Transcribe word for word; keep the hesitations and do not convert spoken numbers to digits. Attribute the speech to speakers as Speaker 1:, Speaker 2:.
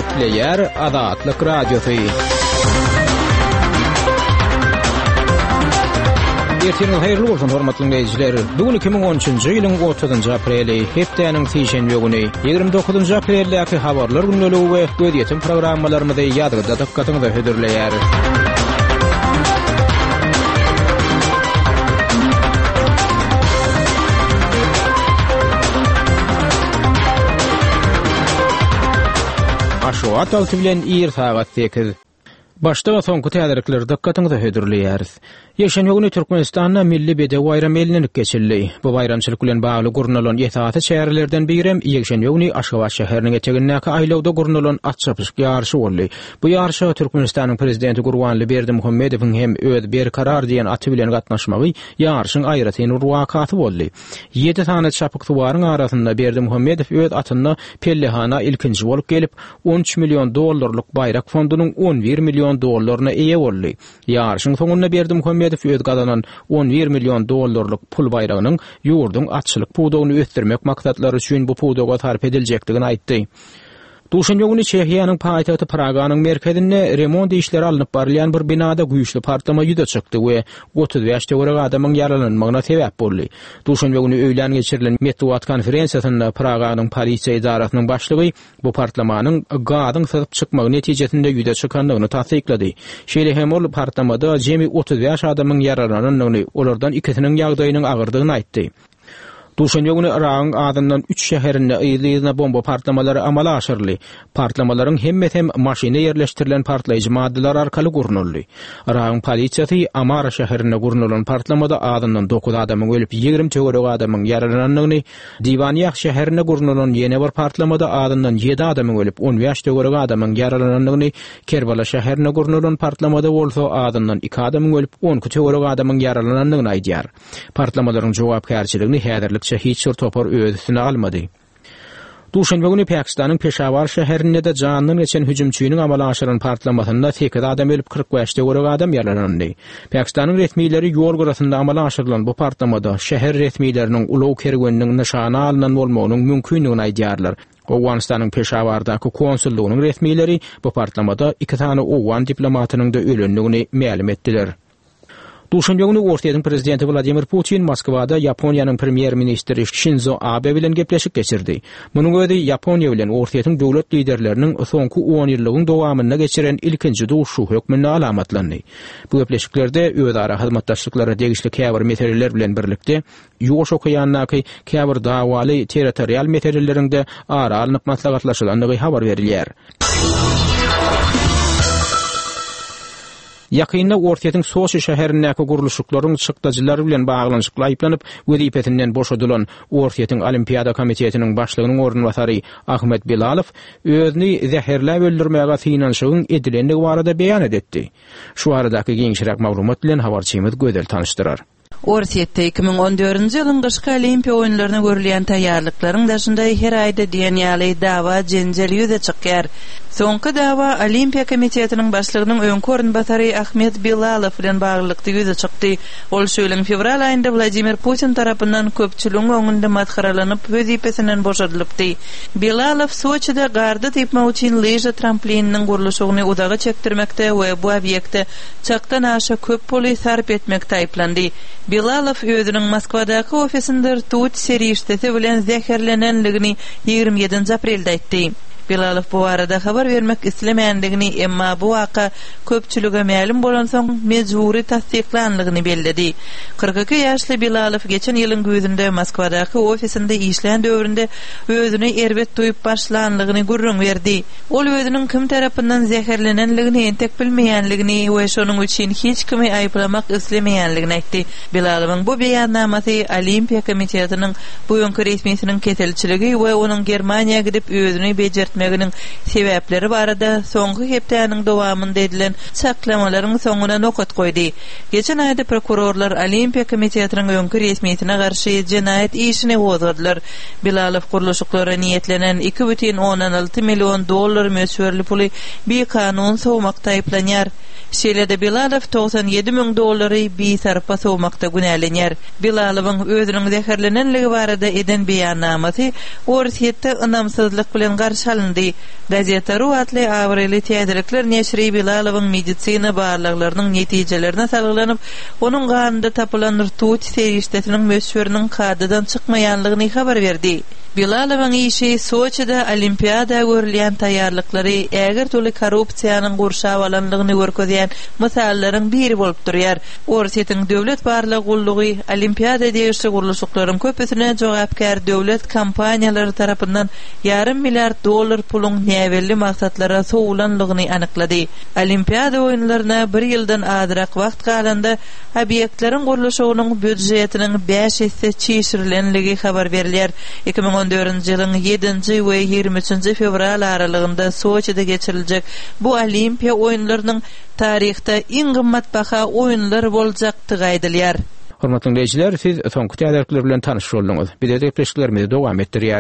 Speaker 1: Gepleýär Azatlyk Radiosy. Ertiriňiz haýyrly bolsun, hormatly dinleýjiler. Bu gün iki müň on üçünji ýylyň otuzynjy apreli, hepdäniň sişenbe güni, ýigrimi dokuzynjy apreldäki habarlar gündeligi we gözýetim programmalarymyzy ýazgyda dykgatyňyza hödürleýäris. Aşgabat wagty bilen ir sagat sekiz. Başda soňky täzelikleri dykgatyňyza hödürleýäris. Ýekşenbe güni Türkmenistanda Milli bedew baýramy bellenilip geçildi. Bu baýramçylyk bilen bagly gurnalan esasy çärelerden birem ýekşenbe güni Aşgabat şäheriniň etegindäki aýlawda gurnalan at çapyşyk ýaryşy boldy. Bu ýaryşa Türkmenistanyň Prezidenti Gurbanguly Berdimuhamedowyň hem öz Berkarar diýen aty bilen gatnaşmagy ýaryşyň aýratyn bir wakasy boldy. Ýedi sany çapyksuwaryň arasynda Berdimuhamedow öz atynda pellehana ilkinji bolup gelip, on üç million dollarlyk baýrak fondunyň on bir million dollaryna eýe boldy. Ýaryşyň soňunda Berdimuhamedow öz gazanan on bir million dollarlyk pul baýragynyň ýurduň atçylyk pudagyny ösdürmek maksatlary üçin bu pudaga sarp ediljekdigini aýtdy. Duşenbe güni Çehiýanyň paýtagty Praganyň merkezinde remont işleri alnyp barylýan bir binada güýçli partlama ýüze çykdy we otuz bäş töwerek adamyň ýaralanmagyna sebäp boldy. Duşenbe güni öýlän geçirilen metbugat konferensiýasynda Praganyň polisiýa edarasynyň başlygy bu partlamanyň gazyň syzyp çykmagy netijesinde ýüze çykandygyny tassyklady. Şeýle hem ol partlamada jemi otuz bäş adamyň ýaralanandygyny, olardan ikisiniň ýagdaýynyň agyrdygyny aýtdy. Duşenbe güni Yragyň azyndan üç şäherinde yzly-yzyna bomba partlamalary amala aşyryldy. Partlamalaryň hemmesi hem maşyna ýerleşdirilen partlaýjy maddalar arkaly gurnaldy. Yragyň polisiýasy Amara şäherinde gurnalan partlamada azyndan dokuz adamyň ölüp, ýigrimi töweregi adamyň ýaralanandygyny, Diwaniýah şäherinde gurnalan ýene bir partlamada azyndan ýedi adamyň ölüp, on bäş töweregi adamyň ýaralanandygyny, Kerbala şäherinde gurnalan partlamada bolsa azyndan iki adamyň ölüp, on iki töweregi adamyň ýaralanandygyny aýdýar. Partlamalaryň jogapkärçiligini häzirlikçe hiç bir topar öz üstüne almady. Duşenbe güni Pakistanyň Peşawar şäherinde-de jandan geçen hüjümçiniň amala aşyran partlamasynda sekiz adam ölüp, kyrk bäş töweregi adam ýaralandy. Pakistanyň resmileri ýol gyrasynda amala aşyrylan bu partlamada şäher resmileriniň ulag kerweniniň nyşana alnan bolmagynyň mümkindigini aýdýarlar. Owganystanyň Peşawardaky konsullygynyň resmileri bu partlamada iki sany owgan diplomatynyň-da ölendigini mälim etdiler. Duşenbe güni Orsýetiň prezidenti Wladimir Putin Moskwada Ýaponiýanyň premýer-ministri Şinzo Abe bilen gepleşik geçirdi. Munuň özi Ýaponiýa bilen Orsýetiň döwlet liderleriniň soňky on ýyllygyň dowamynda geçiren ilkinji duşuşygy hökmünde alamatlandy. Bu gepleşiklerde özara hyzmatdaşlyklara degişli käbir meseleler bilen birlikde, Ýuwaş okeandaky käbir dawaly territorial meseleleriň-de ara alnyp maslahatlaşylandygy habar berilýär. Ýakynda Orsýetiň Soçi şäherindäki gurluşyklaryň çykdajylary bilen baglanyşykly aýyplanyp, wezipesinden boşadylan Orsýetiň Olimpiada komitetiniň başlygynyň orunbasary Ahmet Bilalow özüni zäherläp öldürmäge synanyşygyň edilendigi barada beýanat etdi. Şu baradaky giňişräk maglumat bilen habarçymyz Gözel tanyşdyrar.
Speaker 2: Orsýetde iki müň on dördünji ýylyň gyşky Olimpiýa oýunlaryna görülýän taýýarlyklaryň daşynda her aýda diýen ýaly dawa-jenjel ýüze çykýar. Soňky dawa Olimpiýa komitetiniň başlygynyň öňki orunbasary Ahmet Bilalow bilen baglylykda ýüze çykdy. Ol şu ýylyň fewral aýynda Wladimir Putin tarapyndan köpçüligiň öňünde masgaralanyp, wezipesinden boşadylypdy. Bilalow Soçide garda typmak üçin lyža tramplininiň gurluşygyny uzaga çekdirmekde we bu obýekte çakdan aşa köp puly sarp etmekde aýyplandy. Bilalow özüniň Moskwadaky ofisinde rtut serişdesi bilen zäherlenenligini ýigrimi ýedinji aprelde aýtdy. Bilalow bu barada habar bermek islemändigini, emma bu waka köpçülige mälim bolansoň mejbury tassyklanlygyny belledi. Kyrk iki ýaşly Bilalow geçen ýylyň güýzünde Moskwadaky ofisinde işlän döwründe özüni erbet duýup başlanlygyny gürrüň berdi. Ol özüniň kim tarapyndan zäherlenenligini entek bilmeýänligini we şonuň üçin hiç kimi aýyplamak islemeýänligini aýtdy. Bilalowyň bu beýannamasy Olimpiýa komitetiniň bu öňki resmisiniň keselçiligi we onuň Germaniýa gidip özüni bejertmeginiň sebäpleri barada soňky hepdäniň dowamynda edilen çaklamalaryň soňuna nokat goýdy. Geçen aýda prokurorlar Olimpiýa komitetiniň öňki resmisine garşy jenaýat işini gozgadylar. Bilalow gurluşyklara niýetlenen iki bütin ondan alty million dollar möçberli puly bikanun sowmakda aýyplanýar. Şeýle-de Bilalow togsan ýedi müň dollary bisarpa sowmakda günälenýär. Bilalowyň özüniň zäherlenenligi barada eden beýannamasy Orsýetde ynamsyzlyk bilen garşy alyndy. alyndy. Gazeta.ru atly abraýly täzelikler neşiri Bilalowyň medisina barlaglarynyň netijelerine salgylanyp, onuň ganynda tapylan rtut serişdesiniň möçberiniň kadadan çykmaýanlygyny habar berdi. Bilalowyň işi Soçide Olimpiada görülýän taýýarlyklary ägirt uly korrupsiýanyň gurşap alanlygyny görkezýän mysallaryň biri bolup durýar. Orsýetiň döwlet barlag gullugy Olimpiada degişli gurluşyklaryň köpüsine jogapkär döwlet kompaniýalary tarapyndan ýarym milliard dollar puluň näbelli maksatlara sowulanlygyny anyklady. Olimpiada oýunlaryna bir ýyldan azrak wagt galanda obýektleriň gurluşygynyň býudjetiniň bäş esse çişirilenligi habar berilýär. Iki müň on dördünji ýylyň ýedinji we ýigrimi üçünji fewral aralygynda Soçide geçiriljek bu Olimpiýa oýunlarynyň taryhda iň gymmatbaha oýunlar boljakdygy aýdylýar.
Speaker 1: Hormatly dinleýjiler, siz soňky täzelikler bilen tanyş bolduňyz. Biz gepleşiklerimizi dowam etdirýäris.